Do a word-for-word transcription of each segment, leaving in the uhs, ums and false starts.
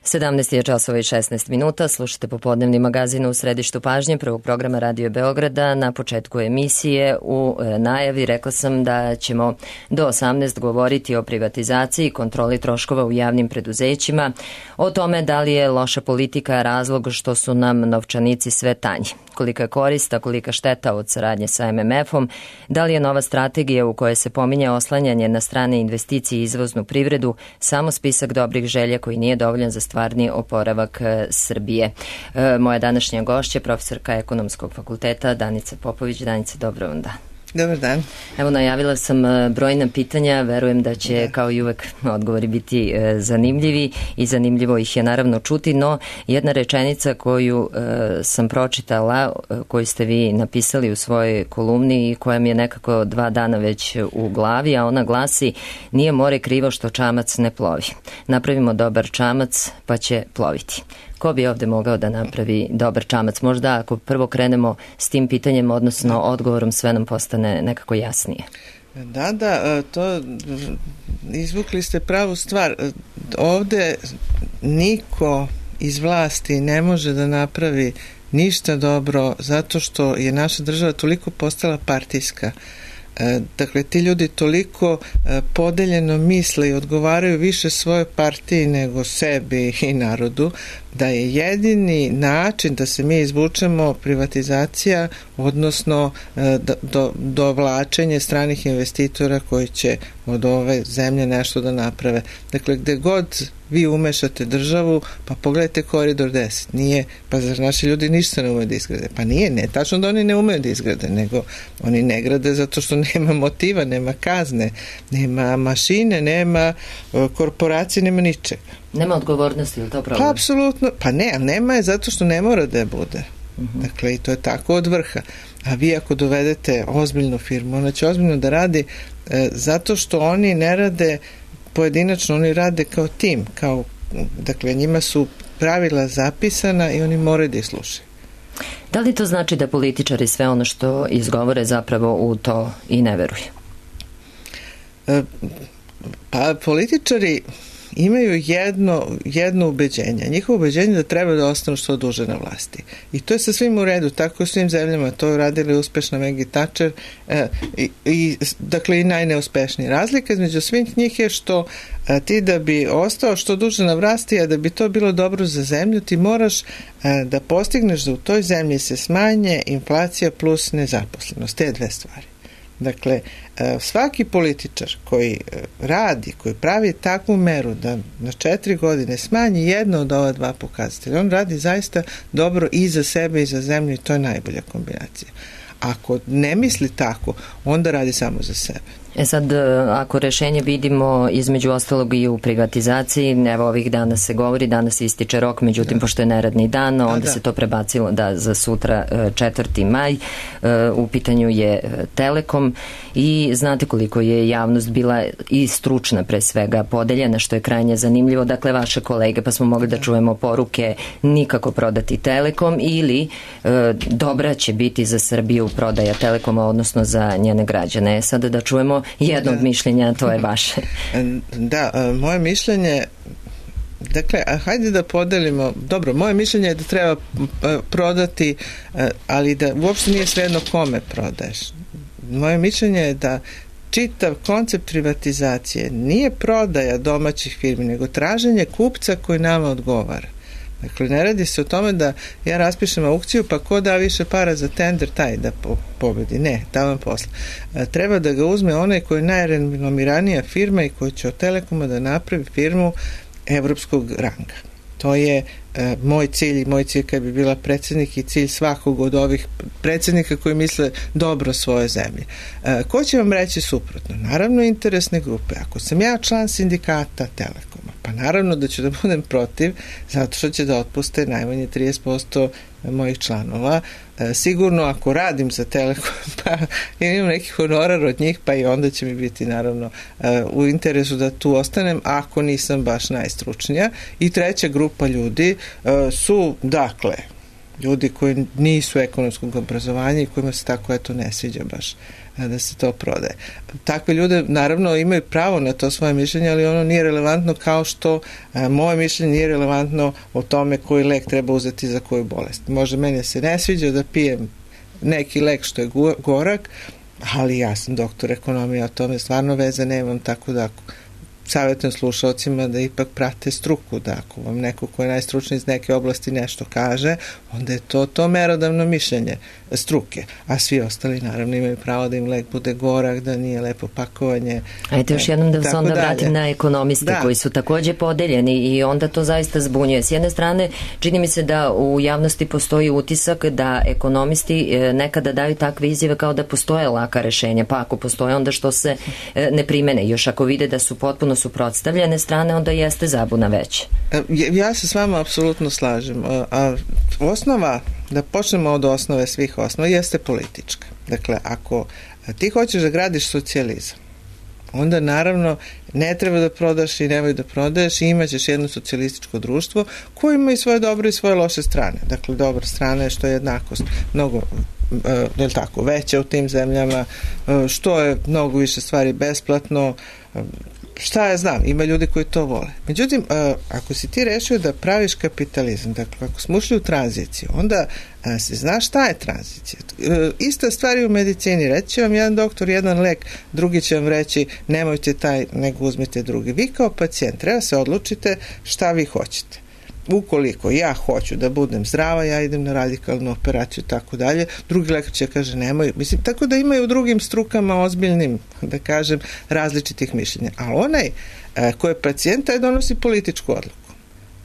sedamnaest je časova i šesnaest minuta, slušate popodnevni magazin u središtu pažnje prvog programa Radio Beograda. Na početku emisije u najavi rekla sam da ćemo do osamnaest govoriti o privatizaciji i kontroli troškova u javnim preduzećima, o tome da li je loša politika razlog što su nam novčanici sve tanji, kolika je korist, a kolika šteta od saradnje sa em em efom, da li je nova strategija u kojoj se pominje oslanjanje na strane investicije i izvoznu privredu samo spisak dobrih želja koji nije dovoljan za stvarni oporavak Srbije. E, moja današnja gošća, profesorka Ekonomskog fakulteta Danica Popović. Danica, dobro vam dan. Dobar dan. Evo, najavila sam brojna pitanja, verujem da će da. kao i uvek odgovori biti e, zanimljivi i zanimljivo ih je naravno čuti, no jedna rečenica koju e, sam pročitala, e, koju ste vi napisali u svojoj kolumni i koja mi je nekako dva dana već u glavi, a ona glasi: nije more krivo što čamac ne plovi. Napravimo dobar čamac pa će ploviti. Ko bi ovde mogao da napravi dobar čamac? Možda ako prvo krenemo s tim pitanjem, odnosno odgovorom, sve nam postane nekako jasnije. Da, da, to izvukli ste pravu stvar. Ovde niko iz vlasti ne može da napravi ništa dobro zato što je naša država toliko postala partijska. Dakle, ti ljudi toliko podeljeno misle i odgovaraju više svojoj partiji nego sebi i narodu, da je jedini način da se mi izvučemo privatizacija, odnosno do, dovlačenje stranih investitora koji će od ove zemlje nešto da naprave. Dakle, gde god vi umešate državu, pa pogledajte Koridor deset, nije, pa zar naši ljudi ništa ne umeju da izgrade? Pa nije, ne, tačno da oni ne umeju da izgrade, nego oni ne grade zato što nema motiva, nema kazne, nema mašine, nema korporacije, nema ničega. Nema odgovornosti, ili to problem? Pa, apsolutno, pa ne, ali nema je zato što ne mora da je bude. Uh-huh. Dakle, i to je tako od vrha. A vi ako dovedete ozbiljnu firmu, ona će ozbiljno da radi e, zato što oni ne rade pojedinačno, oni rade kao tim, kao, dakle, njima su pravila zapisana i oni moraju da ih slušaju. Da li to znači da političari sve ono što izgovore zapravo u to i ne veruju? E, pa političari imaju jedno, jedno ubeđenje. Njihovo ubeđenje da treba da ostanu što duže na vlasti. I to je sa svim u redu, tako u svim zemljama. To je radili uspešna Maggie Thatcher e, i, i, dakle, i najneuspešniji. Razlika između svih njih je što a, ti da bi ostao što duže na vlasti, a da bi to bilo dobro za zemlju, ti moraš a, da postigneš da u toj zemlji se smanje inflacija plus nezaposlenost. Te dve stvari. Dakle, svaki političar koji radi, koji pravi takvu meru da na četiri godine smanji jedno od ova dva pokazatelja, on radi zaista dobro i za sebe i za zemlju i to je najbolja kombinacija. Ako ne misli tako, onda radi samo za sebe. E sad, ako rešenje vidimo između ostalog i u privatizaciji, evo ovih dana se govori, danas ističe rok, međutim, da. pošto je neradni dan, onda da. se to prebacilo da za sutra četvrti maj, u pitanju je Telekom i znate koliko je javnost bila i stručna pre svega podeljena, što je krajnje zanimljivo. Dakle, vaše kolege, pa smo mogli da, da čujemo poruke nikako prodati Telekom ili e, dobra će biti za Srbiju prodaja Telekoma, odnosno za njene građane. Sada da čujemo jedno od mišljenja, to je vaše. Da, moje mišljenje, dakle, hajde da podelimo, dobro, moje mišljenje je da treba prodati, ali da uopšte nije svejedno kome prodaješ. Moje mišljenje je da čitav koncept privatizacije nije prodaja domaćih firmi, nego traženje kupca koji nama odgovara. Dakle, ne radi se o tome da ja raspišem aukciju, pa ko da više para za tender, taj da po, pobedi. Ne, tamo posle. E, treba da ga uzme onaj koji je najrenomiranija firma i koji će od Telekoma da napravi firmu evropskog ranga. To je e, moj cilj i moj cilj kad bi bila predsjednik i cilj svakog od ovih predsjednika koji misle dobro svoje zemlje. E, ko će vam reći suprotno? Naravno, interesne grupe. Ako sam ja član sindikata Telekoma, pa naravno da ću da budem protiv, zato što će da otpuste najmanje trideset posto mojih članova. E, sigurno ako radim za Telekom, pa imam neki honorar od njih, pa i onda će mi biti naravno e, u interesu da tu ostanem, ako nisam baš najstručnija. I treća grupa ljudi e, su, dakle, ljudi koji nisu ekonomskog obrazovanja i kojima se tako eto ne sviđa baš da se to prodaje. Takve ljude naravno imaju pravo na to svoje mišljenje, ali ono nije relevantno kao što a, moje mišljenje nije relevantno o tome koji lek treba uzeti za koju bolest. Može meni se ne sviđa da pijem neki lek što je gorak, ali ja sam doktor ekonomije, o tome stvarno veze nemam, tako da savjetujem slušalcima da ipak prate struku, da ako vam neko ko je najstručniji iz neke oblasti nešto kaže, onda je to to merodavno mišljenje struke, a svi ostali naravno imaju pravo da im lek bude gorak, da nije lepo pakovanje. Ajde još jednom da se onda vratim na ekonomiste da. koji su takođe podeljeni i onda to zaista zbunjuje. S jedne strane, čini mi se da u javnosti postoji utisak da ekonomisti nekada daju takve izjave kao da postoje laka rešenja, pa ako postoje onda što se ne primene, još ako vide da su potpuno suprotstavljene strane, onda jeste zabuna veća. Ja se s vama apsolutno slažem. A osnova, da počnemo od osnove svih osnova, jeste politička. Dakle, ako ti hoćeš da gradiš socijalizam, onda naravno ne treba da prodaš i nemoj da prodaješ i imaćeš jedno socijalističko društvo koje ima i svoje dobre i svoje loše strane. Dakle, dobra strana je što je jednakost mnogo je li tako, veća u tim zemljama, što je mnogo više stvari besplatno, šta ja znam, ima ljudi koji to vole. Međutim, ako si ti rešio da praviš kapitalizam, dakle, ako smo ušli u tranziciju, onda se zna šta je tranzicija. Ista stvar je u medicini. Reći će vam jedan doktor jedan lek, drugi će vam reći nemojte taj, nego uzmite drugi. Vi kao pacijent treba se odlučite šta vi hoćete. Ukoliko ja hoću da budem zdrava, ja idem na radikalnu operaciju i tako dalje, drugi lekar će kaže nemoj. Mislim, tako da imaju u drugim strukama ozbiljnim, da kažem, različitih mišljenja. A onaj e, ko je pacijent, taj donosi političku odluku.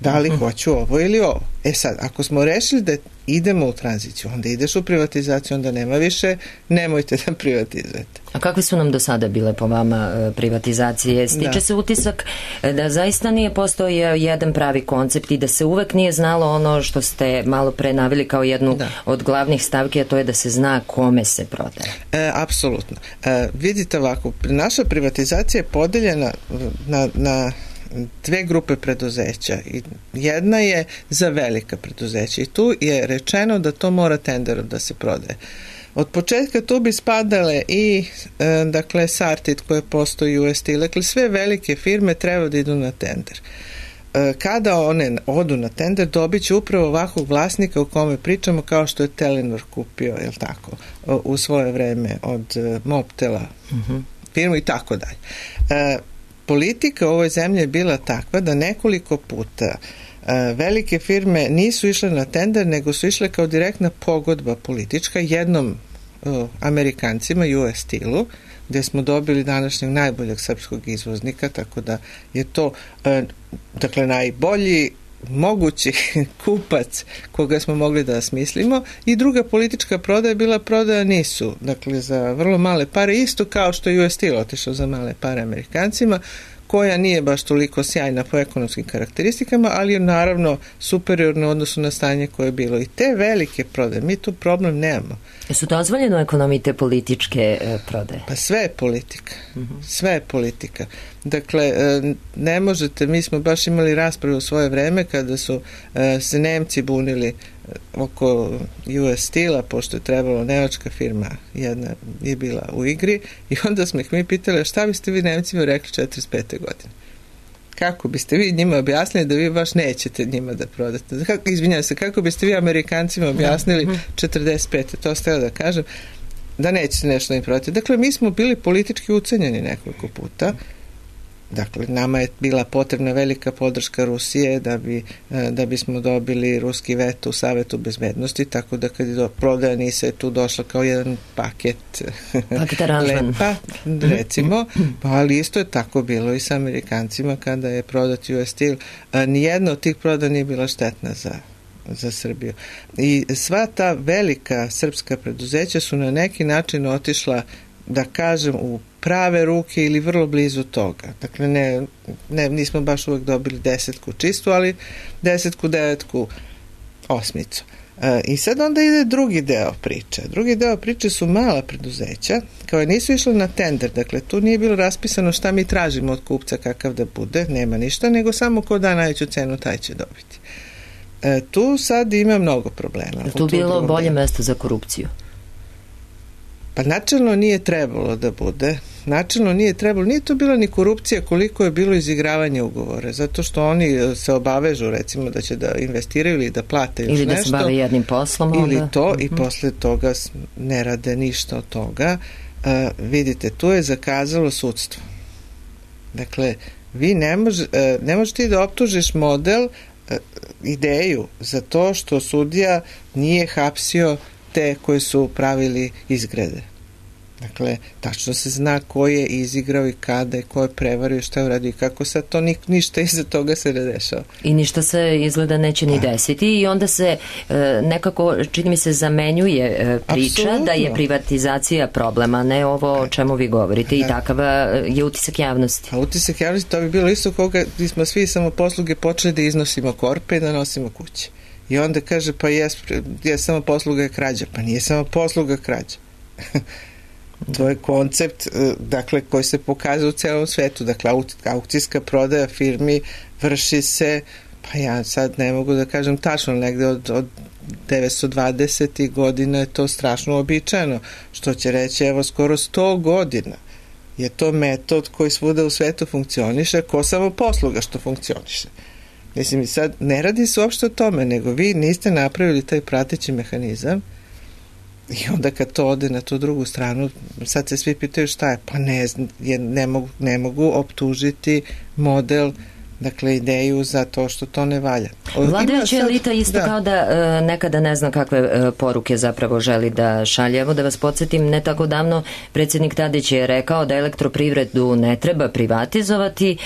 Da li hoću ovo ili ovo. E sad, ako smo rešili da idemo u tranziciju, onda ideš u privatizaciju, onda nema više, nemojte da privatizujete. A kakve su nam do sada bile po vama privatizacije? Stiče da. se utisak da zaista nije postojao jedan pravi koncept i da se uvek nije znalo ono što ste malo pre naveli kao jednu da. od glavnih stavki, a to je da se zna kome se prodaje. E, apsolutno. E, vidite ovako, naša privatizacija je podeljena na, na dve grupe preduzeća. Jedna je za velika preduzeća i tu je rečeno da to mora tenderom da se prodaje. Od početka tu bi spadale i e, dakle Sartid koje postoji u U S Steel, dakle sve velike firme treba da idu na tender. E, kada one odu na tender, dobit će upravo ovakvog vlasnika u kome pričamo kao što je Telenor kupio, je li tako, u svoje vreme od e, Mobtela uh-huh. firmu i tako dalje. E, politika u ovoj zemlji je bila takva da nekoliko puta uh, velike firme nisu išle na tender, nego su išle kao direktna pogodba politička jednom uh, Amerikancima, U S Steelu, gde smo dobili današnjeg najboljeg srpskog izvoznika, tako da je to uh, dakle najbolji mogući kupac koga smo mogli da smislimo i druga politička prodaja je bila prodaja nisu, dakle za vrlo male pare, isto kao što je U S Steel otišao za male pare Amerikancima, koja nije baš toliko sjajna po ekonomskim karakteristikama, ali je naravno superiorno u odnosu na stanje koje je bilo. I te velike prodaje, mi tu problem nemamo. Su dozvoljene u ekonomiji te političke e, prodaje? Pa sve je politika. Uh-huh. Sve je politika. Dakle, e, ne možete, mi smo baš imali raspravu u svoje vreme kada su e, se Nemci bunili oko U S Steela, pošto je trebalo nemačka firma, jedna je bila u igri, i onda smo ih mi pitali šta biste vi Nemcima rekli četrdeset pete godine. Kako biste vi njima objasnili da vi baš nećete njima da prodate? Kako, izvinjam se, kako biste vi Amerikancima objasnili četrdeset pete To ste da kažem, da nećete nešto im prodati. Dakle, mi smo bili politički ucenjeni nekoliko puta. Dakle, nama je bila potrebna velika podrška Rusije da bi da bismo dobili ruski veto u Savetu bezbednosti, tako da kad je do prodaja Nisa je tu došla kao jedan paket lepa, recimo, ali isto je tako bilo i sa Amerikancima kada je prodat U S Steel. Nijedna od tih prodaja nije bila štetna za za Srbiju. I sva ta velika srpska preduzeća su na neki način otišla, da kažem, u prave ruke ili vrlo blizu toga. Dakle, ne, ne, nismo baš uvek dobili desetku čistu, ali desetku, devetku, osmicu. E, I sad onda ide drugi deo priče. Drugi deo priče su mala preduzeća, kao nisu išli na tender, dakle, tu nije bilo raspisano šta mi tražimo od kupca kakav da bude, nema ništa, nego samo ko da najveću cenu, taj će dobiti. E, tu sad ima mnogo problema. Je tu bilo bolje mesto za korupciju? Pa načelno nije trebalo da bude. Načelno nije trebalo. Nije to bila ni korupcija koliko je bilo izigravanje ugovora. Zato što oni se obavežu, recimo, da će da investiraju ili da plate još nešto. Ili da nešto, se bave jednim poslom. Ili onda. to, uh-huh. i posle toga ne rade ništa od toga. Uh, vidite, tu je zakazalo sudstvo. Dakle, vi ne, može, uh, ne možeš ti da optužiš model, uh, ideju za to što sudija nije hapsio te koji su pravili izgrede. Dakle, tačno se zna ko je izigrao i kada i ko je prevario i šta je uradio i kako sad to ni, ništa iza toga se ne dešava. I ništa se izgleda neće ni desiti i onda se e, nekako, čini mi se, zamenjuje e, priča Absolutno. Da je privatizacija problema, ne ovo o čemu vi govorite, da. I takav je utisak javnosti. A utisak javnosti, to bi bilo isto koga smo svi samoposluge počeli da iznosimo korpe i da nosimo kuće. I onda kaže, pa jes, jes samoposluga je krađa. Pa nije samoposluga krađa. To je koncept, dakle, koji se pokazuje u celom svetu. Dakle, aukcijska prodaja firmi vrši se, pa ja sad ne mogu da kažem tačno, negde od, od devetsto dvadesetih godina je to strašno uobičajeno, što će reći, evo, skoro sto godina je to metod koji svuda u svetu funkcioniše, ko samo posluga što funkcioniše. Mislim, sad ne radi se uopšte o tome, nego vi niste napravili taj prateći mehanizam. I onda kad to ode na tu drugu stranu, sad se svi pitaju šta je, pa ne, ne, mogu, ne mogu optužiti model, dakle ideju za to što to ne valja. Vladajuća elita isto da. Kao da e, nekada ne zna kakve e, poruke zapravo želi da šalje. Evo da vas podsjetim, ne tako davno predsjednik Tadić je rekao da elektroprivredu ne treba privatizovati, e,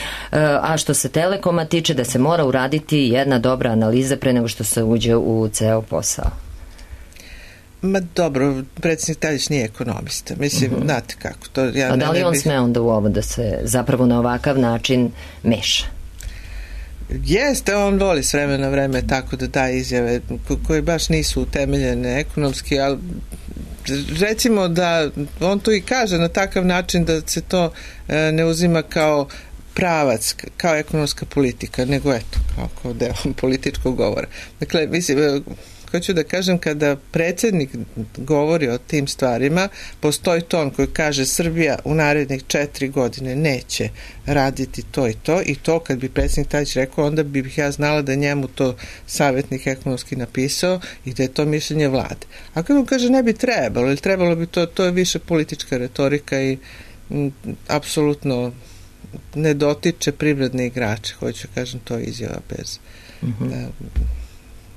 a što se Telekoma tiče da se mora uraditi jedna dobra analiza pre nego što se uđe u ceo posao. Ma dobro, predsjednik Tadić nije ekonomista. Mislim, uh-huh. znate kako. To, ja A da li ne on bih... sme onda u ovo da se zapravo na ovakav način meša? Jeste, on voli s vremena na vreme tako da daje izjave ko- koje baš nisu utemeljene ekonomski, ali recimo da on to i kaže na takav način da se to e, ne uzima kao pravac, kao ekonomska politika, nego eto, kao, kao deo političkog govora. Dakle, mislim, hoću da kažem, kada predsjednik govori o tim stvarima, postoji ton koji kaže Srbija u narednih četiri godine neće raditi to i to, i to kad bi predsjednik Tadić rekao, onda bih ja znala da njemu to savjetnik ekonomski napisao i da je to mišljenje vlade. A kad on kaže ne bi trebalo, ili trebalo bi to, to je više politička retorika i m, apsolutno ne dotiče privredne igrače, hoću kažem, to je izjava bez... Mm-hmm. Da,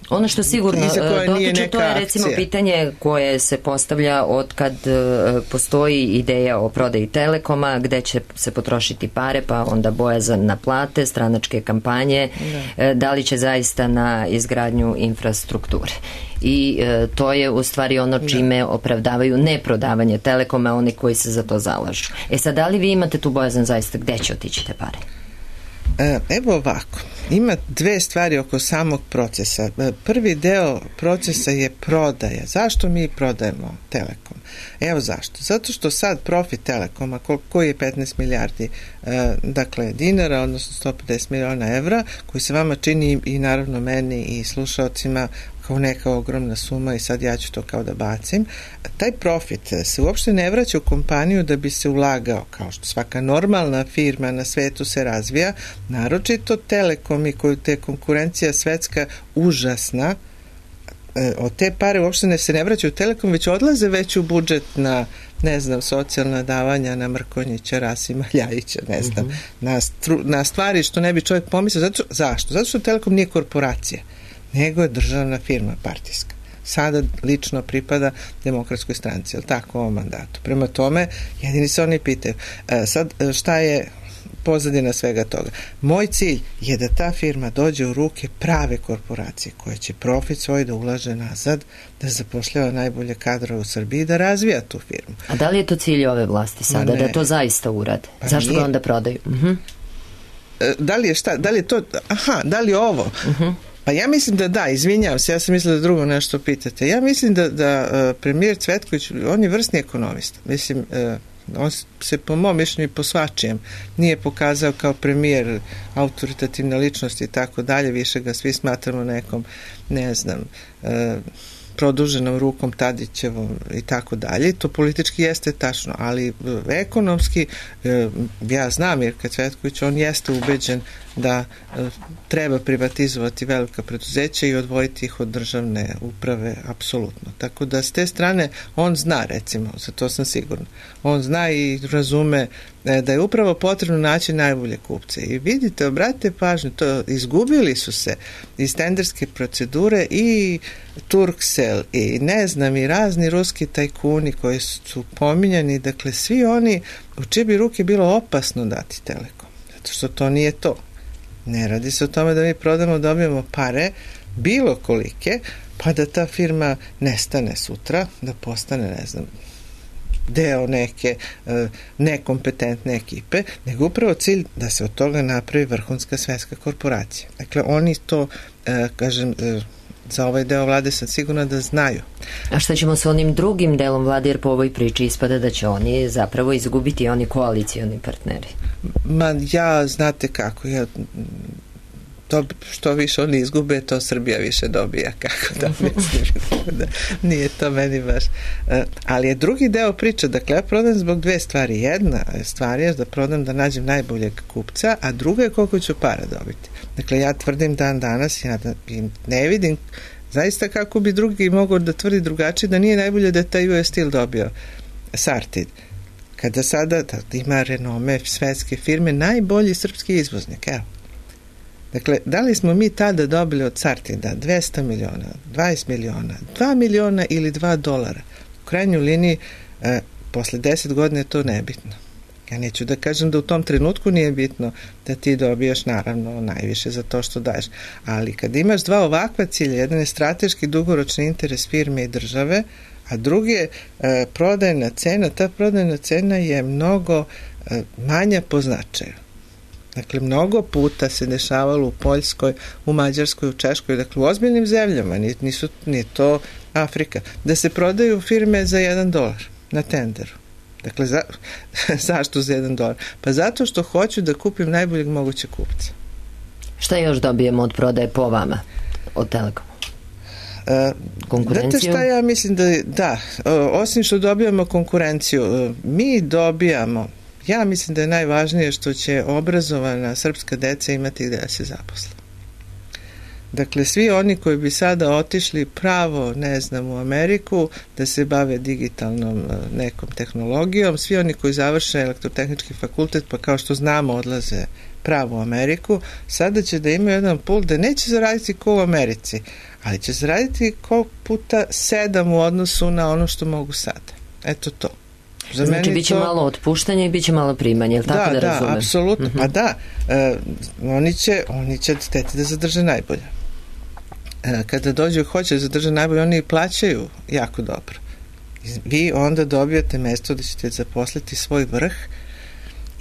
ono što sigurno dotiče, to je recimo akcija. Pitanje koje se postavlja od kad uh, postoji ideja o prodaji Telekoma, gde će se potrošiti pare, pa onda bojazan na plate, stranačke kampanje, da, uh, da li će zaista na izgradnju infrastrukture. I uh, to je u stvari ono čime opravdavaju neprodavanje Telekoma, oni koji se za to zalažu. E sad, da li vi imate tu bojazan zaista gde će otići te pare? Evo ovako, ima dve stvari oko samog procesa. Prvi deo procesa je prodaja. Zašto mi prodajemo Telekom? Evo zašto. Zato što sad profit Telekoma, koji je petnaest milijardi dakle dinara, odnosno sto pedeset miliona evra, koji se vama čini i naravno meni i slušaocima kao neka ogromna suma i sad ja ću to kao da bacim. Taj profit se uopšte ne vraća u kompaniju da bi se ulagao, kao što svaka normalna firma na svetu se razvija, naročito Telekom i koju te konkurencija svetska užasna, od te pare uopšte ne se ne vraćaju u Telekom, već odlaze već u budžet na, ne znam, socijalna davanja, na Mrkonjića, Rasima Ljajića, ne znam, mm-hmm. na, stru, na stvari što ne bi čovjek pomislio. Zato, zašto? Zato što Telekom nije korporacija, nego je državna firma partijska. Sada lično pripada Demokratskoj stranci, ali tako u ovom mandatu. Prema tome, jedini se oni pitaju. E, sad, šta je pozadina svega toga? Moj cilj je da ta firma dođe u ruke prave korporacije koja će profit svoj da ulaže nazad, da zapošljava najbolje kadra u Srbiji, da razvija tu firmu. A da li je to cilj ove vlasti sada, da to zaista urade? Pa zašto ga onda prodaju? Uh-huh. E, da li je šta, da li je to, aha, da li je ovo? Uh-huh. Pa ja mislim da da, izvinjavam se, ja sam mislila da drugo nešto pitate. Ja mislim da, da uh, premijer Cvetković, on je vrsni ekonomista. Mislim, uh, on se po mom mišljenju po svačijem nije pokazao kao premijer autoritativna ličnost i tako dalje, više ga svi smatramo nekom, ne znam, uh, produženom rukom Tadićevom i tako dalje. To politički jeste tačno, ali ekonomski ja znam Mirka Cvetković, on jeste ubeđen da treba privatizovati velika preduzeća i odvojiti ih od državne uprave, apsolutno. Tako da s te strane on zna, recimo, za to sam sigurna. On zna i razume da je upravo potrebno naći najbolje kupce. I vidite, obratite pažnju, to izgubili su se iz tenderske procedure i Turkcell i ne znam i razni ruski tajkuni koji su pominjani, dakle svi oni u čije bi ruke bilo opasno dati Telekom, zato što to nije to. Ne radi se o tome da mi prodamo, dobijemo pare, bilo kolike, pa da ta firma nestane sutra, da postane, ne znam, deo neke nekompetentne ekipe, nego upravo cilj da se od toga napravi vrhunska svetska korporacija. Dakle, oni to, kažem, za ovaj deo vlade sam sigurna da znaju. A šta ćemo sa onim drugim delom vlade, jer po ovoj priči ispada da će oni zapravo izgubiti oni koalicioni partneri? Ma ja, znate kako, ja to što više oni izgube, to Srbija više dobija, kako da mislim, da nije to meni baš. Ali je drugi deo priče, dakle ja prodam zbog dve stvari. Jedna stvar je da prodam da nađem najboljeg kupca, a druga je koliko ću para dobiti. Dakle ja tvrdim dan danas, ja ne vidim zaista kako bi drugi mogao da tvrdi drugačije, da nije najbolje da je taj U S Steel dobio Sartid. Kada sada da ima renome svetske firme, najbolji srpski izvoznik, evo. Dakle, da li smo mi tada dobili od Sartida dvesta miliona, dvadeset miliona, dva miliona ili dva dolara? U krajnjoj liniji, e, posle deset godina je to nebitno. Ja neću da kažem da u tom trenutku nije bitno da ti dobijaš naravno najviše za to što daješ. Ali kad imaš dva ovakva cilja, jedan je strateški dugoročni interes firme i države, a drugi je e, prodajna cena, ta prodajna cena je mnogo e, manja po značaju. Dakle, mnogo puta se dešavalo u Poljskoj, u Mađarskoj, u Češkoj, dakle u ozbiljnim zemljama, nisu, nije to Afrika, da se prodaju firme za jedan dolar na tenderu. Dakle, za, zašto za jedan dolar? Pa zato što hoću da kupim najboljeg mogućeg kupca. Šta još dobijemo od prodaje po vama, od Telekoma? Konkurenciju? Znate šta ja mislim da, da, osim što dobijamo konkurenciju, mi dobijamo, ja mislim da je najvažnije što će obrazovana srpska deca imati gde da se zaposle. Dakle, svi oni koji bi sada otišli pravo, ne znam, u Ameriku, da se bave digitalnom nekom tehnologijom, svi oni koji završe elektrotehnički fakultet, pa kao što znamo odlaze pravo u Ameriku, sada će da imaju jedan pul da neće zaraditi ko u Americi, ali će zaraditi ko puta sedam u odnosu na ono što mogu sada. Eto to. Za znači, bit će to malo otpuštanja i bit će malo primanja, je li tako da, da razumem? Da, apsolutno. Uh-huh. Pa da, e, oni će, oni će hteti da zadrže najbolje. E, kada dođu i hoće da zadrže najbolje, oni plaćaju jako dobro. Vi onda dobijate mesto da ćete zaposliti svoj vrh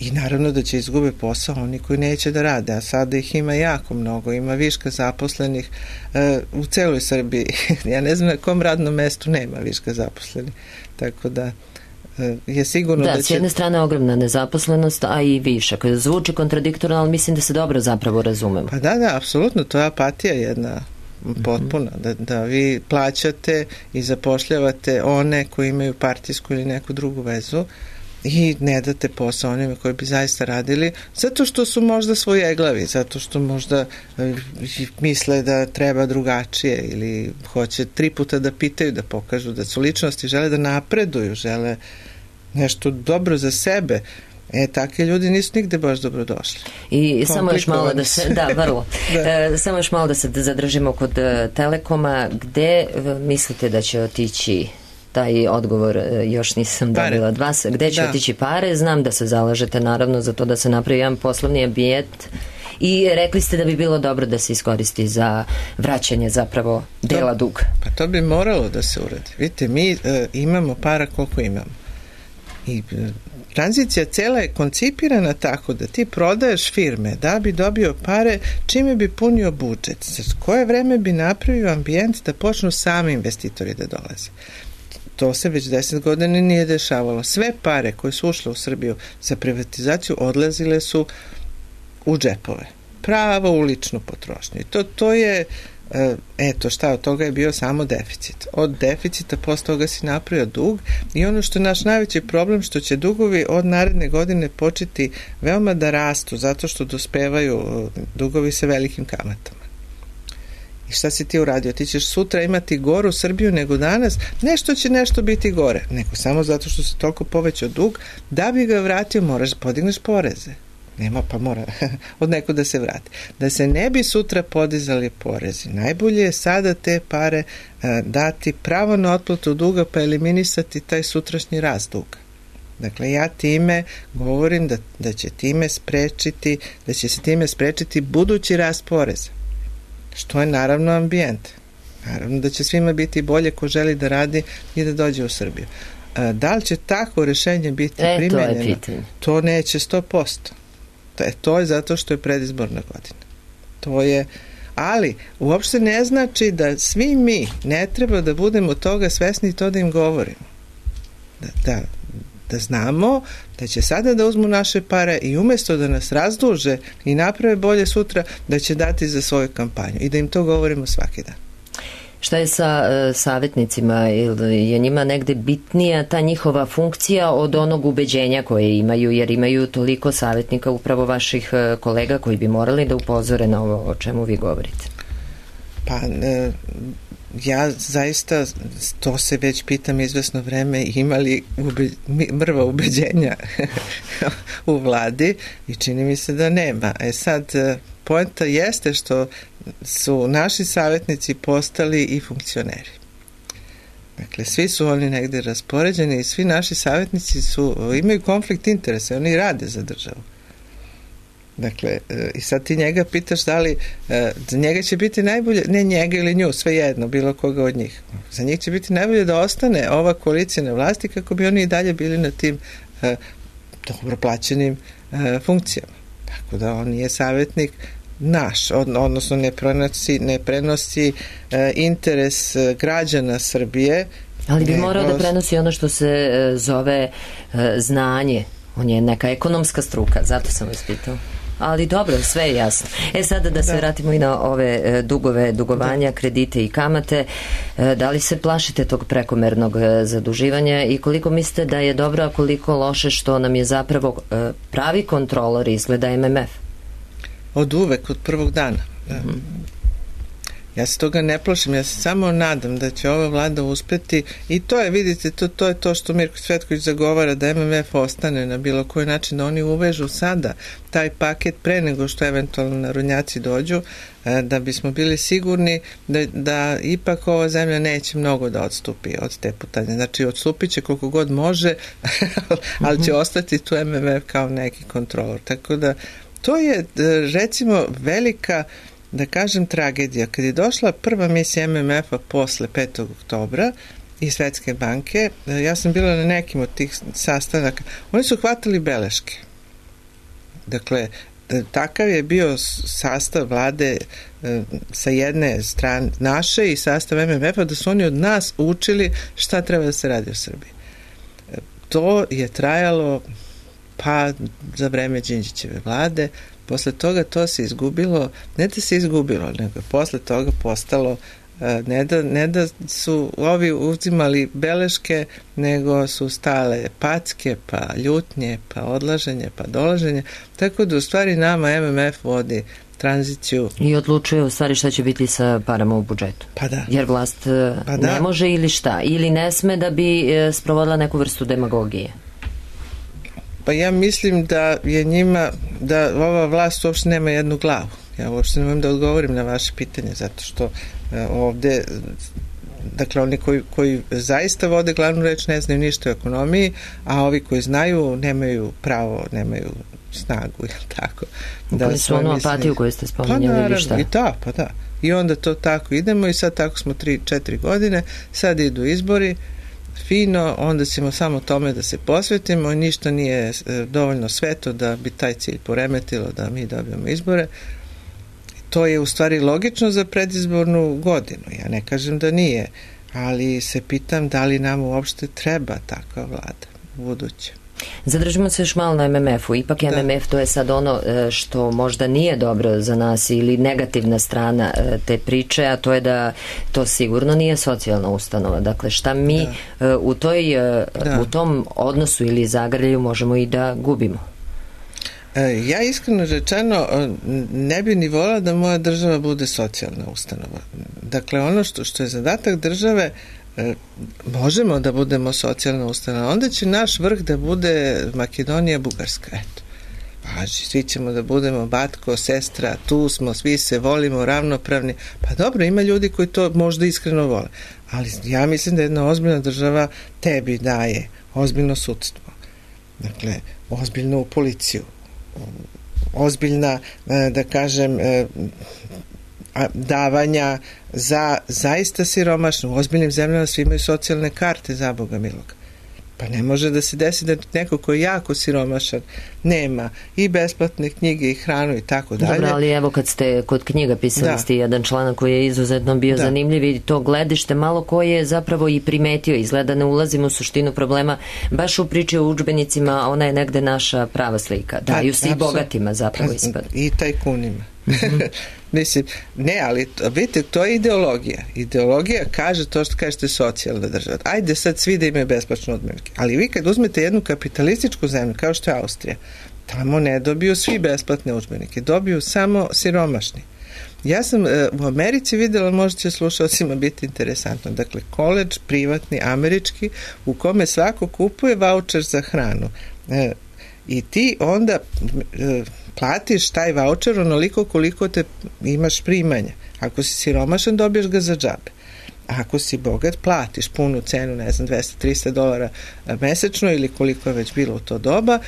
i naravno da će izgube posao oni koji neće da rade, a sada ih ima jako mnogo, ima viška zaposlenih e, u celoj Srbiji. Ja ne znam na kom radnom mestu nema viška zaposlenih, tako da je sigurno da, da će... s jedne strane ogromna nezaposlenost, a i višak. Zvuči kontradiktorno, ali mislim da se dobro zapravo razumemo. Pa da, da, apsolutno, to je apatija jedna potpuna, mm-hmm. da, da vi plaćate i zapošljavate one koji imaju partijsku ili neku drugu vezu i ne date posao onima koji bi zaista radili, zato što su možda svojeglavi, zato što možda misle da treba drugačije ili hoće tri puta da pitaju, da pokažu da su ličnosti, žele da napreduju, žele nešto dobro za sebe. E, takvi ljudi nisu nigde baš dobro došli. I samo još malo da se, da, vrlo. da. E, samo još malo da se zadržimo kod uh, Telekoma. Gde uh, mislite da će otići taj odgovor, još nisam dobila od vas. Gde će da. otići pare? Znam da se zalažete naravno za to da se napravi jedan poslovni ambijent i rekli ste da bi bilo dobro da se iskoristi za vraćanje zapravo dela to, duga. Pa to bi moralo da se uradi. Vidite, mi e, imamo para koliko imamo. I e, tranzicija cela je koncipirana tako da ti prodaješ firme da bi dobio pare, čime bi punio budžet. Za koje vreme bi napravio ambijent da počnu sami investitori da dolaze. To se već deset godina nije dešavalo. Sve pare koje su ušle u Srbiju za privatizaciju odlazile su u džepove. Pravo u ličnu potrošnju. I to, to je eto šta, od toga je bio samo deficit. Od deficita posle toga si napravio dug i ono što je naš najveći problem, što će dugovi od naredne godine početi veoma da rastu, zato što dospevaju dugovi sa velikim kamatama. I šta si ti uradio? Ti ćeš sutra imati goru Srbiju nego danas, nešto će nešto biti gore, nego samo zato što se toliko povećao dug, da bi ga vratio moraš podigneš poreze. Nema, pa mora od neko da se vrati. Da se ne bi sutra podizali porezi, najbolje je sada te pare a, dati pravo na otplatu duga pa eliminisati taj sutrašnji rast duga. Dakle, ja time govorim da, da će time sprečiti, da će se time sprečiti budući rast poreza, što je naravno ambijent. Naravno da će svima biti bolje ko želi da radi i da dođe u Srbiju. A, da li će tako rešenje biti e, primenjeno? To, to neće sto posto. E, to je zato što je predizborna godina. To je, ali uopšte ne znači da svi mi ne treba da budemo toga svesni i to da im govorimo. Da, da, da znamo da će sada da uzmu naše pare i umjesto da nas razduže i naprave bolje sutra, da će dati za svoju kampanju i da im to govorimo svaki dan. Šta je sa e, savjetnicima? Ili je njima negde bitnija ta njihova funkcija od onog ubeđenja koje imaju, jer imaju toliko savjetnika, upravo vaših e, kolega koji bi morali da upozore na ovo o čemu vi govorite? Pa, e, ja zaista to se već pitam izvesno vreme, imali ube, mrva ubeđenja u vladi i čini mi se da nema. E sad, poenta jeste što su naši savjetnici postali i funkcioneri. Dakle, svi su oni negde raspoređeni i svi naši savjetnici su, imaju konflikt interesa, oni rade za državu. Dakle, i sad ti njega pitaš da li za njega će biti najbolje, ne njega ili nju, svejedno, bilo koga od njih. Za njih će biti najbolje da ostane ova koalicija na vlasti kako bi oni i dalje bili na tim uh, dobro plaćenim uh, funkcijama. Tako da on nije savjetnik naš, od, odnosno ne prenosi, ne prenosi uh, interes uh, građana Srbije. Ali bi morao da prenosi ono što se uh, zove uh, znanje. On je neka ekonomska struka, zato sam vas pitao. Ali dobro, sve je jasno. E sada da se da. vratimo i na ove e, dugove, dugovanja, da. kredite i kamate. E, da li se plašite tog prekomernog e, zaduživanja i koliko mislite da je dobro, a koliko loše što nam je zapravo e, pravi kontrolor izgleda M M F? Od uvek, od prvog dana. Mm-hmm. Ja se toga ne plašim, ja se samo nadam da će ova vlada uspeti i to je, vidite, to, to je to što Mirko Cvetković zagovara, da M M F ostane na bilo koji način, da oni uvežu sada taj paket pre nego što eventualno narodnjaci dođu, da bismo bili sigurni da, da ipak ova zemlja neće mnogo da odstupi od te putanje. Znači, odstupit će koliko god može, ali će ostati tu M M F kao neki kontrolor. Tako da, to je, recimo, velika, da kažem, tragedija. Kad je došla prva misija M M F-a posle petog oktobra i Svetske banke, ja sam bila na nekim od tih sastanaka, oni su hvatali beleške. Dakle, takav je bio sastav vlade sa jedne strane naše i sastav M M F-a, da su oni od nas učili šta treba da se radi u Srbiji. To je trajalo pa za vreme Đinđićeve vlade. Posle toga to se izgubilo, ne da se izgubilo, nego posle toga postalo, ne da, ne da su ovi uzimali beleške, nego su stale packe, pa ljutnje, pa odlaženje, pa dolaženje, tako da u stvari nama M M F vodi tranziciju. I odlučuje u stvari šta će biti sa parama u budžetu. Pa da. Jer vlast pa da. ne može ili šta, ili ne sme da bi sprovodila neku vrstu demagogije. Pa ja mislim da je njima, da ova vlast uopšte nema jednu glavu. Ja uopšte ne mogu da odgovorim na vaše pitanje, zato što ovde, dakle, oni koji, koji zaista vode glavnu reč ne znaju ništa o ekonomiji, a ovi koji znaju nemaju pravo, nemaju snagu, ili tako. Da su onu apatiju koju ste spominjali, ili šta? I da, pa da. I onda to tako idemo i sad tako smo tri, četiri godine, sad idu izbori, fino, onda ćemo samo tome da se posvetimo i ništa nije dovoljno sveto da bi taj cilj poremetilo da mi dobijemo izbore. To je u stvari logično za predizbornu godinu. Ja ne kažem da nije, ali se pitam da li nam uopšte treba takva vlada u buduće. Zadržimo se još malo na em em efu. Ipak da. em em ef to je sad ono što možda nije dobro za nas ili negativna strana te priče, a to je da to sigurno nije socijalna ustanova. Dakle, šta mi da. u, toj, da. u tom odnosu ili zagrlju možemo i da gubimo? Ja iskreno rečeno ne bi ni volila da moja država bude socijalna ustanova. Dakle, ono što, što je zadatak države, možemo da budemo socijalna ustanova, onda će naš vrh da bude Makedonija, Bugarska, eto. Važi, svi ćemo da budemo batko, sestra, tu smo, svi se volimo, ravnopravni. Pa dobro, ima ljudi koji to možda iskreno vole, ali ja mislim da jedna ozbiljna država tebi daje ozbiljno sudstvo, dakle, ozbiljnu policiju, ozbiljna, da kažem, davanja za zaista siromašno. U ozbiljnim zemljama svi imaju socijalne karte, za Boga miloga. Pa ne može da se desi da neko ko je jako siromašan nema i besplatne knjige i hranu i tako dalje. Dobro, ali evo kad ste kod knjiga pisali da. ste jedan članak koji je izuzetno bio da. zanimljiv i to gledište malo koji je zapravo i primetio, izgleda ne ulazimo u suštinu problema, baš u priči o udžbenicima, ona je negde naša prava slika. Daju se i bogatima zapravo ispada. I tajkunima. Mm-hmm. Mislim, ne, ali vidite, to je ideologija. Ideologija kaže to što kažete socijalna država. Ajde sad svi da imaju besplatne udžbenike. Ali vi kad uzmete jednu kapitalističku zemlju, kao što je Austrija, tamo ne dobiju svi besplatne udžbenike, dobiju samo siromašni. Ja sam e, u Americi videla, možda će slušalcima biti interesantno, dakle, koledž privatni, američki, u kome svako kupuje vaučer za hranu. E, I ti onda e, platiš taj vaučer onoliko koliko te imaš primanja. Ako si siromašan, dobiješ ga za džabe. Ako si bogat, platiš punu cenu, ne znam, dvesta do trista dolara mesečno ili koliko je već bilo u to doba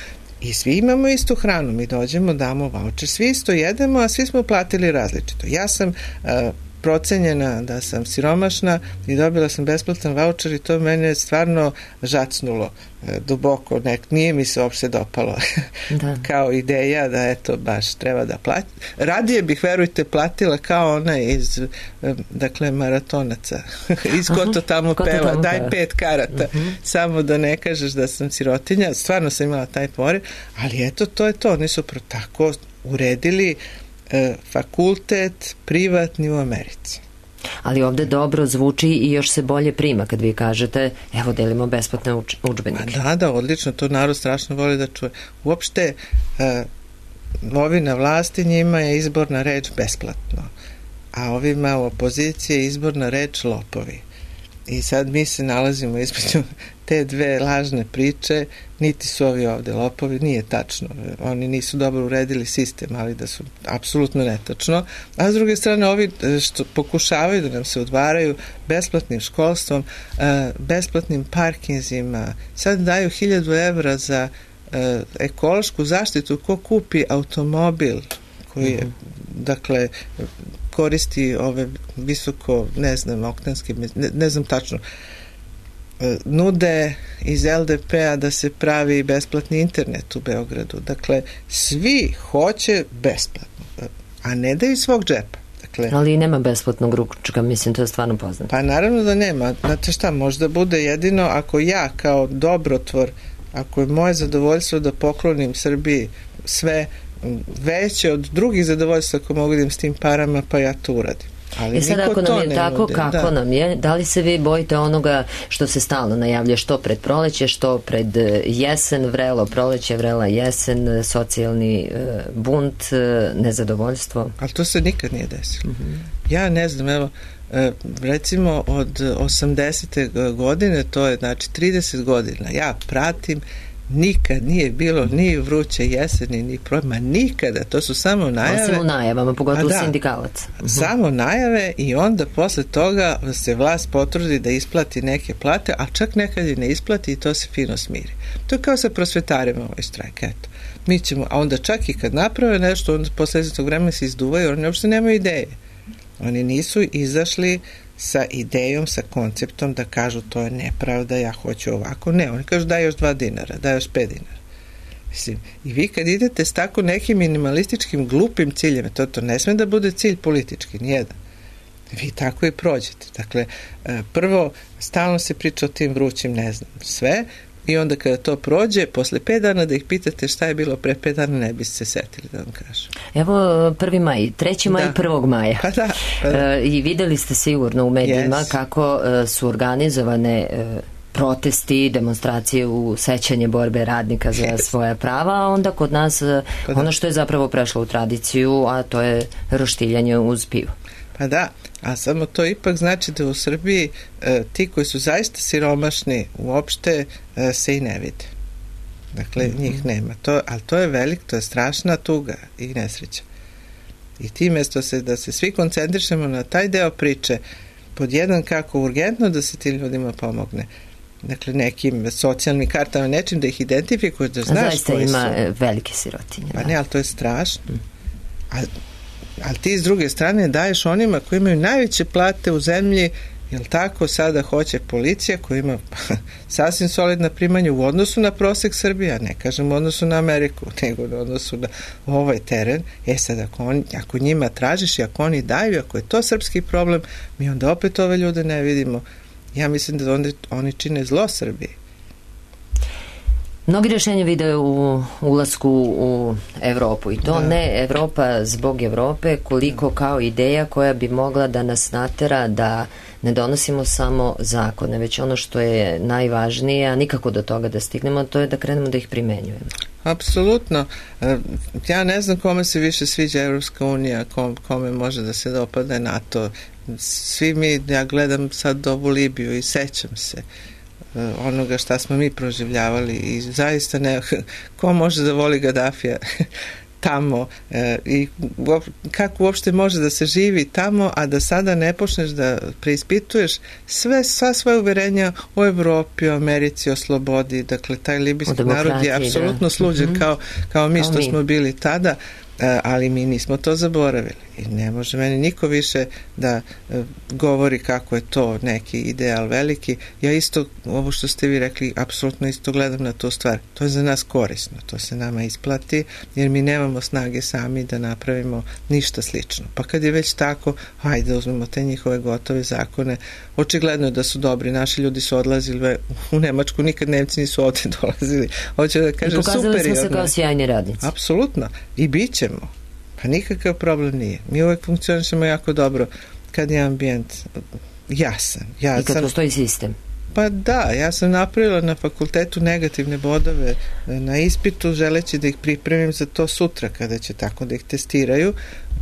i svi imamo istu hranu. Mi dođemo, damo vaučer, svi isto jedemo, a svi smo platili različito. Ja sam uh, procenjena da sam siromašna i dobila sam besplatan vaučer i to mene stvarno žacnulo e, duboko, nek, nije mi se uopšte dopalo da. kao ideja da eto baš treba da plati. Radije bih, verujte, platila kao ona iz e, dakle maratonaca iz ko to tamo Aha, peva, tamo daj peva. pet karata uh-huh. samo da ne kažeš da sam sirotinja, stvarno sam imala taj poriv, ali eto to je to, oni su pro tako uredili fakultet privatni u Americi. Ali ovde dobro zvuči i još se bolje prima kad vi kažete evo delimo besplatne uč- udžbenike. Da, da, odlično, to narod strašno voli da čuje. Uopšte uh, ovi na vlasti njima je izborna reč besplatno, a ovima u opoziciji je izborna reč lopovi. I sad mi se nalazimo između te dve lažne priče, niti su ovi ovde lopovi, nije tačno. Oni nisu dobro uredili sistem, ali da su apsolutno netačno. A s druge strane, ovi što pokušavaju da nam se udvaraju besplatnim školstvom, besplatnim parkinzima, sad daju hiljadu evra za ekološku zaštitu ko kupi automobil koji je, mm-hmm. dakle, koristi ove visoko, ne znam, oktanske, ne, ne znam tačno, nude iz el de pe-a da se pravi besplatni internet u Beogradu. Dakle, svi hoće besplatno, a ne da iz svog džepa. Dakle, ali nema besplatnog ručka, mislim, to je stvarno poznato. Pa naravno da nema. Znate šta, možda bude jedino ako ja kao dobrotvor, ako je moje zadovoljstvo da poklonim Srbiji sve veće od drugih zadovoljstva ako mogu da im s tim parama, pa ja to uradim. Ali I sad ako nam je tako, nude. kako da. nam je, da li se vi bojite onoga što se stalno najavlja, što pred proleće, što pred jesen, vrelo proleće, vrela jesen, socijalni uh, bunt, uh, nezadovoljstvo? Ali to se nikad nije desilo. Mm-hmm. Ja ne znam, evo, recimo od osamdesete godine, to je znači trideset godina, ja pratim, nikad nije bilo ni vruće jeseni, ni proljeće, nikada, to su samo najave. Osim u najavama, pogotovo da, sindikalaca. Samo najave i onda posle toga se vlast potrudi da isplati neke plate, a čak nekad i ne isplati i to se fino smiri. To je kao sa prosvetarima ovaj štrajk, eto. Mi ćemo, a onda čak i kad naprave nešto, onda posle tog vremena se izduvaju, oni uopšte nemaju ideje. Oni nisu izašli sa idejom, sa konceptom da kažu to je nepravda, ja hoću ovako. Ne, oni kažu daj još dva dinara, daj još pet dinara. Mislim, i vi kad idete s tako nekim minimalističkim glupim ciljima, to, to ne sme da bude cilj politički, nijedan. Vi tako i prođete. Dakle, prvo, stalno se priča o tim vrućim, ne znam, sve, i onda kada to prođe, posle pet dana da ih pitate šta je bilo pre pet dana, ne biste se setili da vam kažu. Evo prvi maj, treći maj, da. prvog maja. Pa da, pa da. E, I videli ste sigurno u medijima yes. kako e, su organizovane e, protesti, demonstracije u sećanje borbe radnika za yes. svoja prava, a onda kod nas pa ono što je zapravo prešlo u tradiciju, a to je roštiljanje uz pivo. Pa da, a samo to ipak znači da u Srbiji e, ti koji su zaista siromašni uopšte e, se i ne vide. Dakle, mm-hmm. njih nema. To, ali to je velik, to je strašna tuga i nesreća. I ti mesto se, da se svi koncentrišemo na taj deo priče, pod jedan kako urgentno da se tim ljudima pomogne. Dakle, nekim socijalnim kartama, nečim da ih identifikuješ, da znaš zaista koji su. Zaista ima velike sirotinje. Pa da. ne, ali to je strašno. Mm. A ali ti s druge strane daješ onima koji imaju najveće plate u zemlji, jel tako, sada hoće policija koja ima sasvim solidna primanja u odnosu na prosek Srbije, ne kažem u odnosu na Ameriku, nego u odnosu na ovaj teren. E sad, ako, on, ako njima tražiš i ako oni daju, ako je to srpski problem, mi onda opet ove ljude ne vidimo. Ja mislim da oni, oni čine zlo Srbiji. Mnogi rješenja vide u ulasku u Evropu i to da. ne Evropa zbog Evrope, koliko kao ideja koja bi mogla da nas natera da ne donosimo samo zakone, već ono što je najvažnije, a nikako do toga da stignemo, to je da krenemo da ih primenjujemo. Apsolutno. Ja ne znam kome se više sviđa Evropska unija, kome može da se dopada NATO. Svi mi, ja gledam sad ovu Libiju i sećam se onoga šta smo mi proživljavali i zaista ne, ko može da voli Gadafija tamo e, i kako uopšte može da se živi tamo, a da sada ne počneš da preispituješ sve, sva svoje uverenja o Evropi, o Americi, o slobodi. Dakle, taj libijski narod je apsolutno sluđen mm-hmm. kao, kao mi kao što mi. smo bili tada, ali mi nismo to zaboravili i ne može meni niko više da govori kako je to neki ideal veliki. Ja isto, ovo što ste vi rekli, apsolutno isto gledam na tu stvar. To je za nas korisno, to se nama isplati, jer mi nemamo snage sami da napravimo ništa slično. Pa kad je već tako, hajde uzmemo te njihove gotove zakone. Očigledno je da su dobri, naši ljudi su odlazili u Nemačku, nikad Nemci nisu ovdje dolazili. Hoće da kažem, super. I pokazali smo se kao sjajni radnici. Apsolutno. I bit ćemo. Pa nikakav problem nije. Mi uvek funkcionišemo jako dobro kad je ambijent jasan. Ja I kad sam, postoji sistem. Pa da, ja sam napravila na fakultetu negativne bodove na ispitu, želeći da ih pripremim za to sutra kada će tako da ih testiraju.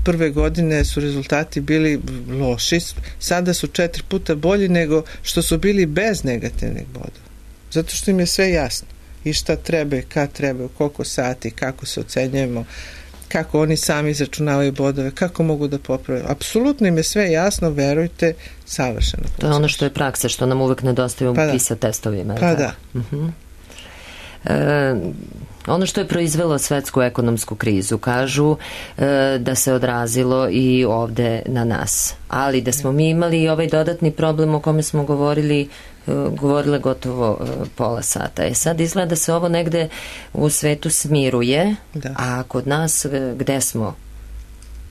Prve godine su rezultati bili loši, sada su četiri puta bolji nego što su bili bez negativnih bodova. Zato što im je sve jasno. I šta treba, kad treba, koliko sati, kako se ocenjujemo, kako oni sami izračunavaju bodove, kako mogu da poprave. Apsolutno im je sve jasno, verujte, savršeno. To je ono što je praksa, što nam uvek nedostaje u pa PISA testovima. Pa da. Uh-huh. E, ono što je proizvelo svetsku ekonomsku krizu, kažu e, da se odrazilo i ovde na nas. Ali da smo mi imali i ovaj dodatni problem o kome smo govorili e, govorile gotovo e, pola sata. E sad izgleda da se ovo negde u svetu smiruje, da. A kod nas e, gde smo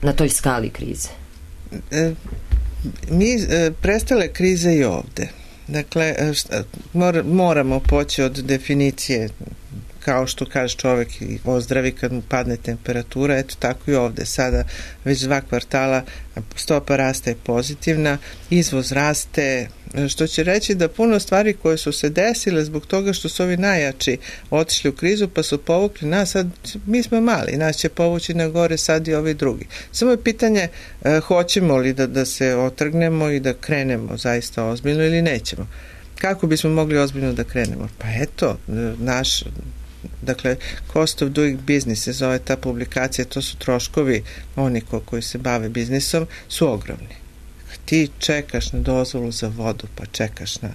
na toj skali krize? E, mi e, prestale krize i ovde. Dakle, šta, mor, moramo poći od definicije, kao što kaže čovek i ozdravi kad mu padne temperatura, eto tako i ovde. Sada već dva kvartala stopa rasta je pozitivna, izvoz raste, što će reći da puno stvari koje su se desile zbog toga što su ovi najjači otišli u krizu pa su povukli nas, sad mi smo mali, nas će povući na gore sad i ovi drugi. Samo je pitanje eh, hoćemo li da, da se otrgnemo i da krenemo zaista ozbiljno ili nećemo. Kako bismo mogli ozbiljno da krenemo? Pa eto, naš dakle, cost of doing business se zove ta publikacija, to su troškovi oni ko, koji se bave biznisom, su ogromni. Ti čekaš na dozvolu za vodu, pa čekaš na...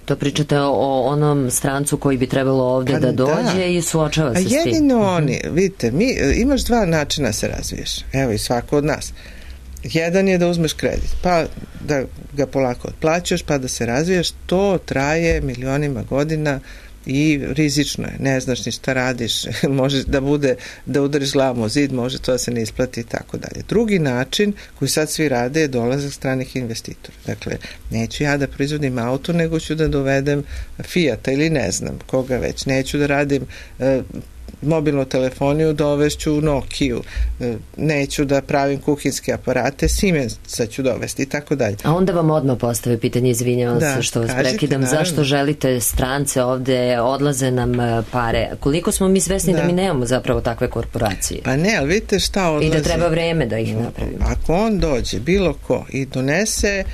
To pričate o onom strancu koji bi trebalo ovde pa, da dođe da. I suočava se s tim. A jedino oni, vidite, mi, imaš dva načina se razviješ, evo i svako od nas. Jedan je da uzmeš kredit, pa da ga polako otplaćaš, pa da se razviješ, to traje milionima godina, i rizično je, ne znaš ni šta radiš, može da bude da udariš glavom o zid, može to da se ne isplati i tako dalje. Drugi način koji sad svi rade je dolazak stranih investitora. Dakle, neću ja da proizvodim auto, nego ću da dovedem Fijata ili ne znam koga već. Neću da radim e, mobilnu telefoniju, dovešću Nokiju, neću da pravim kuhinske aparate, Siemensa ću dovesti i tako dalje. A onda vam odmah postave pitanje, izvinjavam da, se što vas prekidam, naravno. Zašto želite strance ovde, odlaze nam pare? Koliko smo mi svesni da, da mi nemamo zapravo takve korporacije? Pa ne, ali vidite šta odlazi. I da treba vreme da ih napravimo. Ako on dođe, bilo ko, i donese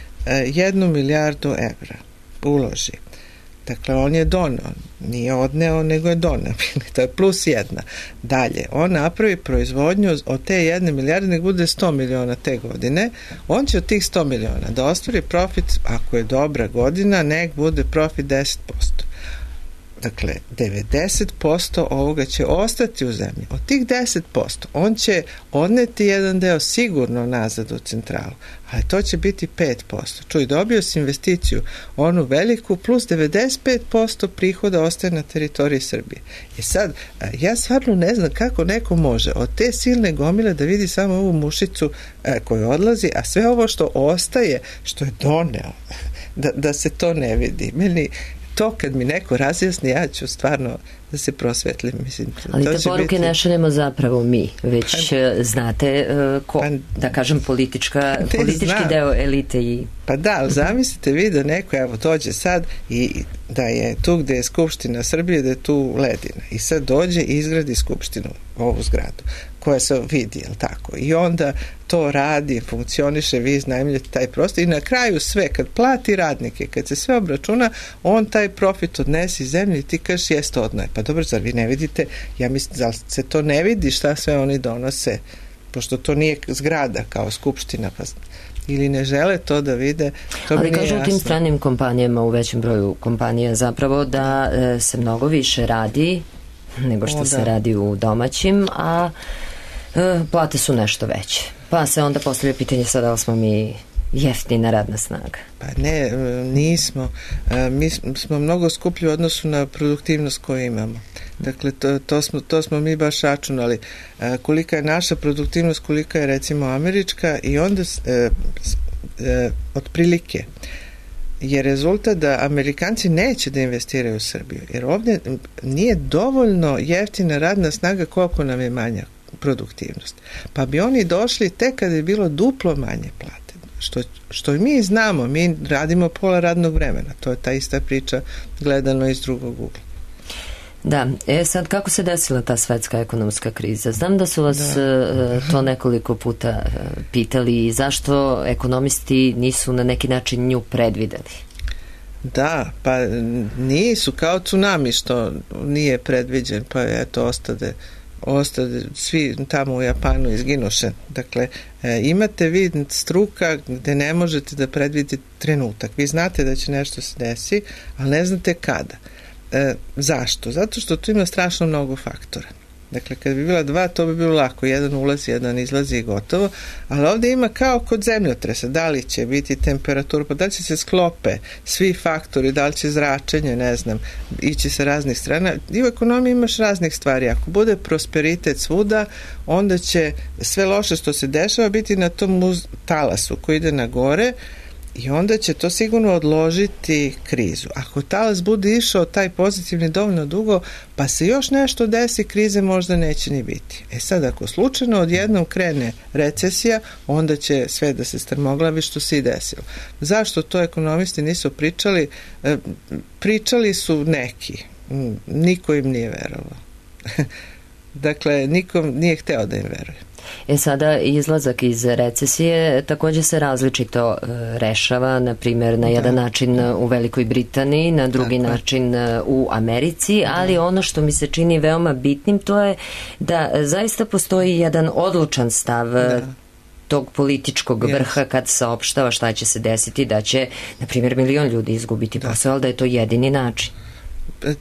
jednu milijardu evra, uloži, dakle, on je doneo, nije odneo, nego je doneo. To je plus jedna. Dalje, on napravi proizvodnju od te jedne milijarde, nek bude sto miliona te godine, on će od tih sto miliona da ostvari profit, ako je dobra godina, nek bude profit deset posto. Dakle, devedeset posto ovoga će ostati u zemlji. Od tih deset posto on će odneti jedan deo sigurno nazad u centralu, ali to će biti pet posto. Čuj, dobio si investiciju, onu veliku, plus devedeset pet posto prihoda ostaje na teritoriji Srbije. I sad, ja stvarno ne znam kako neko može od te silne gomile da vidi samo ovu mušicu koju odlazi, a sve ovo što ostaje, što je doneo, da, da se to ne vidi. Meni to kad mi neko razjasni, ja ću stvarno da se prosvetlim. Mislim, ali te poruke biti... ne šaljemo zapravo mi, već pa, znate uh, ko, pa, da kažem politička, politički znam. Deo elite i... Pa da, ali zamislite vi da neko evo dođe sad i da je tu gde je Skupština Srbije, da je tu ledina i sad dođe i izgradi Skupštinu, ovu zgradu koja se vidi, jel tako? I onda to radi, funkcioniše, vi iznajmljate taj prostor i na kraju sve, kad plati radnike, kad se sve obračuna, on taj profit odnesi iz zemlje i ti kažeš jeste odnoje. Pa dobro, zar vi ne vidite? Ja mislim, da se to ne vidi šta sve oni donose, pošto to nije zgrada kao Skupština, pa ili ne žele to da vide, to ali mi nije kažu jasno. U tim stranim kompanijama, u većem broju kompanija zapravo da e, se mnogo više radi nego što o, se radi u domaćim, a e, plate su nešto veće. Pa se onda postavlja pitanje sada da li smo mi jeftina radna snaga. Pa ne, nismo. Mi smo mnogo skuplji u odnosu na produktivnost koju imamo. Dakle, to, to, smo, to smo mi baš računali. Kolika je naša produktivnost, kolika je recimo američka i onda e, e, otprilike je rezultat da Amerikanci neće da investiraju u Srbiju. Jer ovdje nije dovoljno jeftina radna snaga koliko nam je manja produktivnost. Pa bi oni došli tek kada je bilo duplo manje plate. Što, što mi znamo, mi radimo pola radnog vremena. To je ta ista priča gledano iz drugog ugla. Da, e sad kako se desila ta svetska ekonomska kriza? Znam da su vas da. to nekoliko puta pitali i zašto ekonomisti nisu na neki način nju predvideli? Da, pa nisu kao tsunami što nije predviđen, pa eto ostade ostade, svi tamo u Japanu izginuše. Dakle, e, imate vi struka gde ne možete da predvidite trenutak. Vi znate da će nešto se desi, ali ne znate kada. E, zašto? Zato što tu ima strašno mnogo faktora. Dakle, kad bi bila dva, to bi bilo lako. Jedan ulazi, jedan izlazi i gotovo. Ali ovdje ima kao kod zemljotresa. Da li će biti temperatura, pa da li će se sklope svi faktori, da li će zračenje, ne znam, ići sa raznih strana. I u ekonomiji imaš raznih stvari. Ako bude prosperitet svuda, onda će sve loše što se dešava biti na tom uz talasu koji ide na gore, i onda će to sigurno odložiti krizu. Ako talas bude išao taj pozitivni dovoljno dugo, pa se još nešto desi, krize možda neće ni biti. E sad, ako slučajno odjednom krene recesija, onda će sve da se strmoglavi što se i desilo. Zašto to ekonomisti nisu pričali? E, pričali su neki. Niko im nije verovao. Dakle, nikom nije hteo da im veruje. E sada, izlazak iz recesije također se različito e, rešava, na primjer na jedan da. način u Velikoj Britaniji, na drugi Tako. način u Americi, ali da. ono što mi se čini veoma bitnim to je da zaista postoji jedan odlučan stav da. tog političkog yes. vrha kad saopštava šta će se desiti, da će, na primjer, milion ljudi izgubiti da. posao, ali da je to jedini način.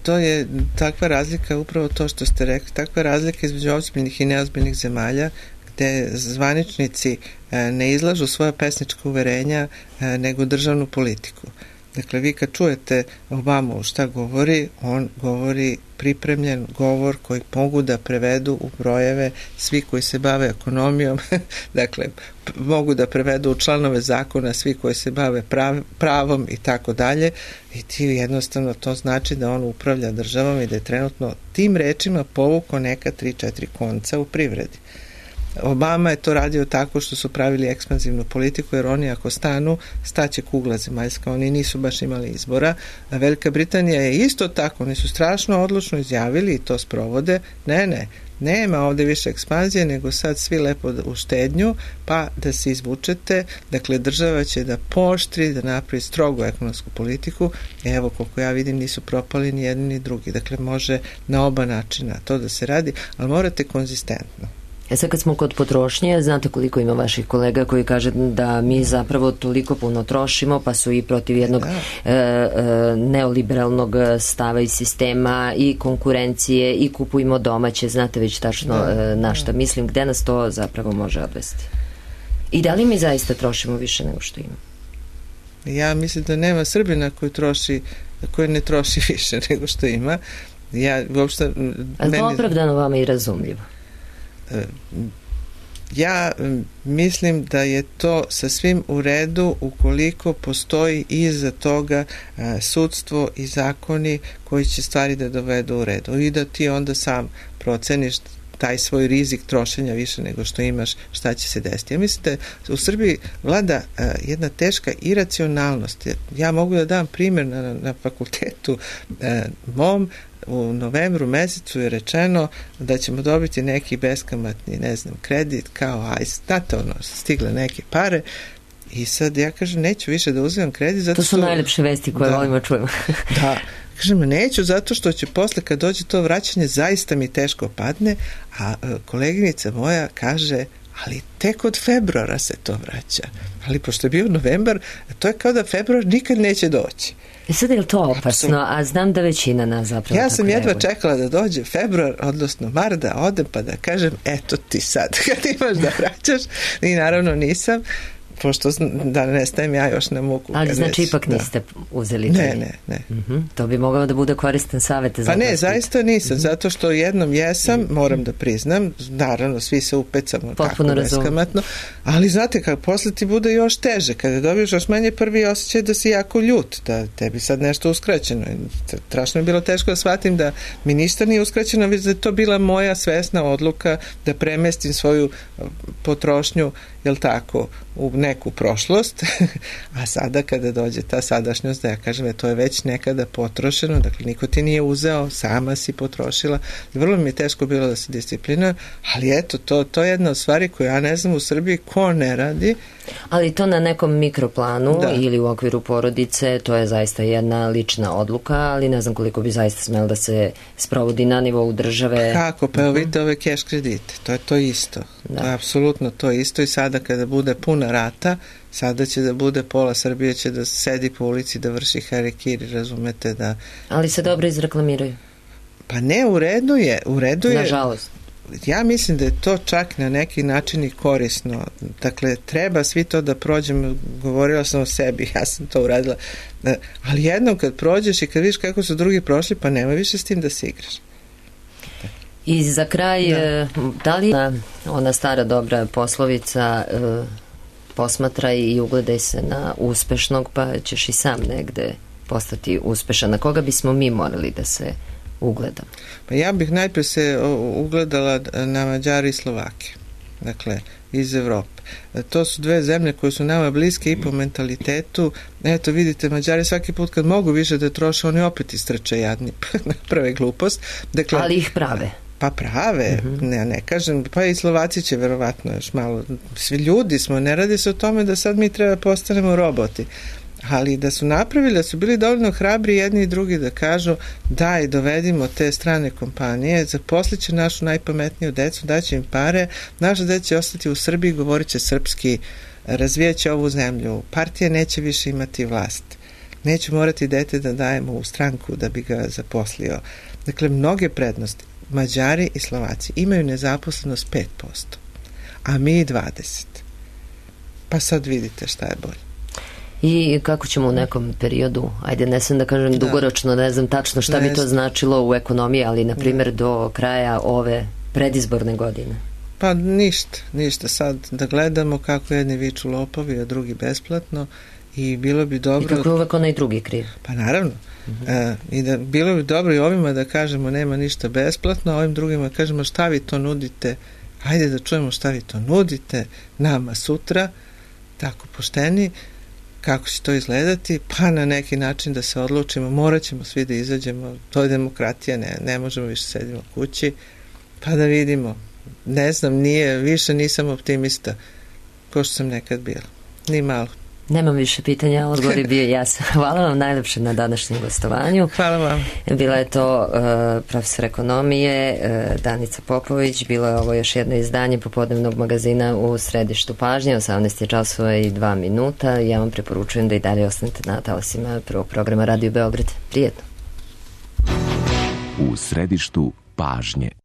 To je takva razlika, upravo to što ste rekli, takva razlika između ozbiljnih i neozbiljnih zemalja, gde zvaničnici ne izlažu svoja pesnička uverenja nego državnu politiku. Dakle, vi kad čujete Obamu šta govori, on govori pripremljen govor koji mogu da prevedu u brojeve svi koji se bave ekonomijom, dakle, mogu da prevedu u članove zakona svi koji se bave prav, pravom i tako dalje, i ti jednostavno to znači da on upravlja državom i da je trenutno tim rečima povukao neka tri četiri konca u privredi. Obama je to radio tako što su pravili ekspanzivnu politiku, jer oni ako stanu, staće kugla zemaljska, oni nisu baš imali izbora. A Velika Britanija je isto tako, oni su strašno odlučno izjavili i to sprovode, ne, ne, nema ovde više ekspanzije, nego sad svi lepo u štednju, pa da se izvučete, dakle država će da pooštri, da napravi strogu ekonomsku politiku, evo koliko ja vidim nisu propali ni jedni ni drugi, dakle može na oba načina to da se radi, ali morate konzistentno. E sad kad smo kod potrošnje, znate koliko ima vaših kolega koji kaže da mi zapravo toliko puno trošimo, pa su i protiv jednog e, e, neoliberalnog stava i sistema i konkurencije i kupujemo domaće, znate već tačno e, na šta mislim, gde nas to zapravo može odvesti. I da li mi zaista trošimo više nego što ima? Ja mislim da nema Srbina koji troši, koji ne troši više nego što ima. Ja uopšte... Ali to opravdano vama i razumljivo? Ja mislim da je to sa svim u redu ukoliko postoji iza toga sudstvo i zakoni koji će stvari da dovedu u redu i da ti onda sam proceniš taj svoj rizik trošenja više nego što imaš, šta će se desiti. Ja mislim da u Srbiji vlada jedna teška iracionalnost. Ja mogu da dam primjer na, na fakultetu mom. U novembru mesecu je rečeno da ćemo dobiti neki beskamatni, ne znam, kredit, kao, aj, znate, ono, stigle neke pare i sad ja kažem, neću više da uzimam kredit. Zato to su što, najlepše vesti koje da, volimo čujemo. Da, kažem, neću zato što će posle kad dođe to vraćanje zaista mi teško padne, a koleginica moja kaže, ali tek od februara se to vraća. Ali pošto je bio novembar, to je kao da februar nikad neće doći. I sad je li to opasno, a znam da većina nas zapravo ja sam tako jedva reaguje. Čekala da dođe februar, odnosno mar, da odem pa da kažem, eto ti sad kad imaš da vraćaš, i naravno nisam, pošto da ne stajem ja još na muku. Ali znači već, ipak da. Niste uzeli ne, ne, ne. Uh-huh. To bi mogao da bude koristan savjet. Pa ne, zaista nisam, uh-huh. zato što jednom jesam, uh-huh. moram da priznam, naravno svi se upecamo potpuno tako beskamatno, ali znate kako posle ti bude još teže, kada dobiješ još manje prvi osjećaj da si jako ljut, da tebi sad nešto uskraćeno. Strašno je bilo teško da shvatim da mi ništa nije uskraćeno, već da je to bila moja svesna odluka da premestim svoju potrošnju, jel tako, u neku prošlost, a sada kada dođe ta sadašnjost, da ja kažem, to je već nekada potrošeno, dakle niko ti nije uzeo, sama si potrošila, vrlo mi je teško bilo da se disciplinujem, ali eto, to, to je jedna od stvari koju ja ne znam u Srbiji ko ne radi. Ali to na nekom mikroplanu da. Ili u okviru porodice, to je zaista jedna lična odluka, ali ne znam koliko bi zaista smelo da se sprovodi na nivou države. Kako? Pa evo vidite ove keš kredite, to je to isto. Da. To je apsolutno to isto i sada kada bude puna rata, sada će da bude pola Srbije će da sedi po ulici da vrši harakiri, razumete da... Ali se dobro izreklamiraju. Pa ne, u redu je, u redu je... Nažalost. Ja mislim da je to čak na neki način i korisno. Dakle, treba svi to da prođemo, govorila sam o sebi, ja sam to uradila, ali jednom kad prođeš i kad vidiš kako su drugi prošli, pa nema više s tim da se igraš. I za kraj, da, da li ona stara dobra poslovica posmatraj i ugledaj se na uspešnog, pa ćeš i sam negde postati uspešan. Na koga bismo mi morali da se ugledam? Pa ja bih najpre se ugledala na Mađari i Slovake, dakle iz Evrope. To su dve zemlje koje su nama bliske i po mentalitetu. Eto vidite, Mađari svaki put kad mogu više da troše, oni opet istrče jadni, naprave glupost. Dakle, ali ih prave. Pa prave, uh-huh. ne, ne kažem, pa i Slovaci će verovatno još malo, svi ljudi smo, ne radi se o tome da sad mi treba postanemo roboti, ali da su napravili, da su bili dovoljno hrabri jedni i drugi da kažu daj, dovedimo te strane kompanije, zaposlit će našu najpametniju decu, daće im pare, naša deca će ostati u Srbiji, govorit će srpski, razvijat će ovu zemlju, partija neće više imati vlast, neće morati dete da dajemo u stranku da bi ga zaposlio. Dakle, mnoge prednosti. Mađari i Slovaci imaju nezaposlenost pet posto, a mi dvadeset. Pa sad vidite šta je bolje. I kako ćemo u nekom periodu, ajde ne sam da kažem da. dugoročno, ne znam tačno šta ne bi to značilo u ekonomiji, ali na primjer do kraja ove predizborne godine? Pa ništa, ništa. Sad da gledamo kako jedni viču lopovi, a drugi besplatno i bilo bi dobro... I kako je uvek onaj drugi kriv? Pa naravno. Uh-huh. E, I da bilo bi dobro i ovima da kažemo nema ništa besplatno, a ovim drugima kažemo šta vi to nudite, hajde da čujemo šta vi to nudite nama sutra, tako pošteni, kako će to izgledati, pa na neki način da se odlučimo, morat ćemo svi da izađemo, to je demokratija, ne, ne možemo više sedimo kući, pa da vidimo. Ne znam, nije, više nisam optimista, ko što sam nekad bila. Ni malo. Nemam više pitanja, odgovor je bio jasan. Hvala vam najlepše na današnjem gostovanju. Hvala vam. Bila je to uh, profesor ekonomije uh, Danica Popović, bilo je ovo još jedno izdanje popodnevnog magazina u središtu pažnje, osamnaest časova i dva minuta. Ja vam preporučujem da i dalje ostanete na talasima prvog programa Radio Beograd. Prijetno. U središtu pažnje.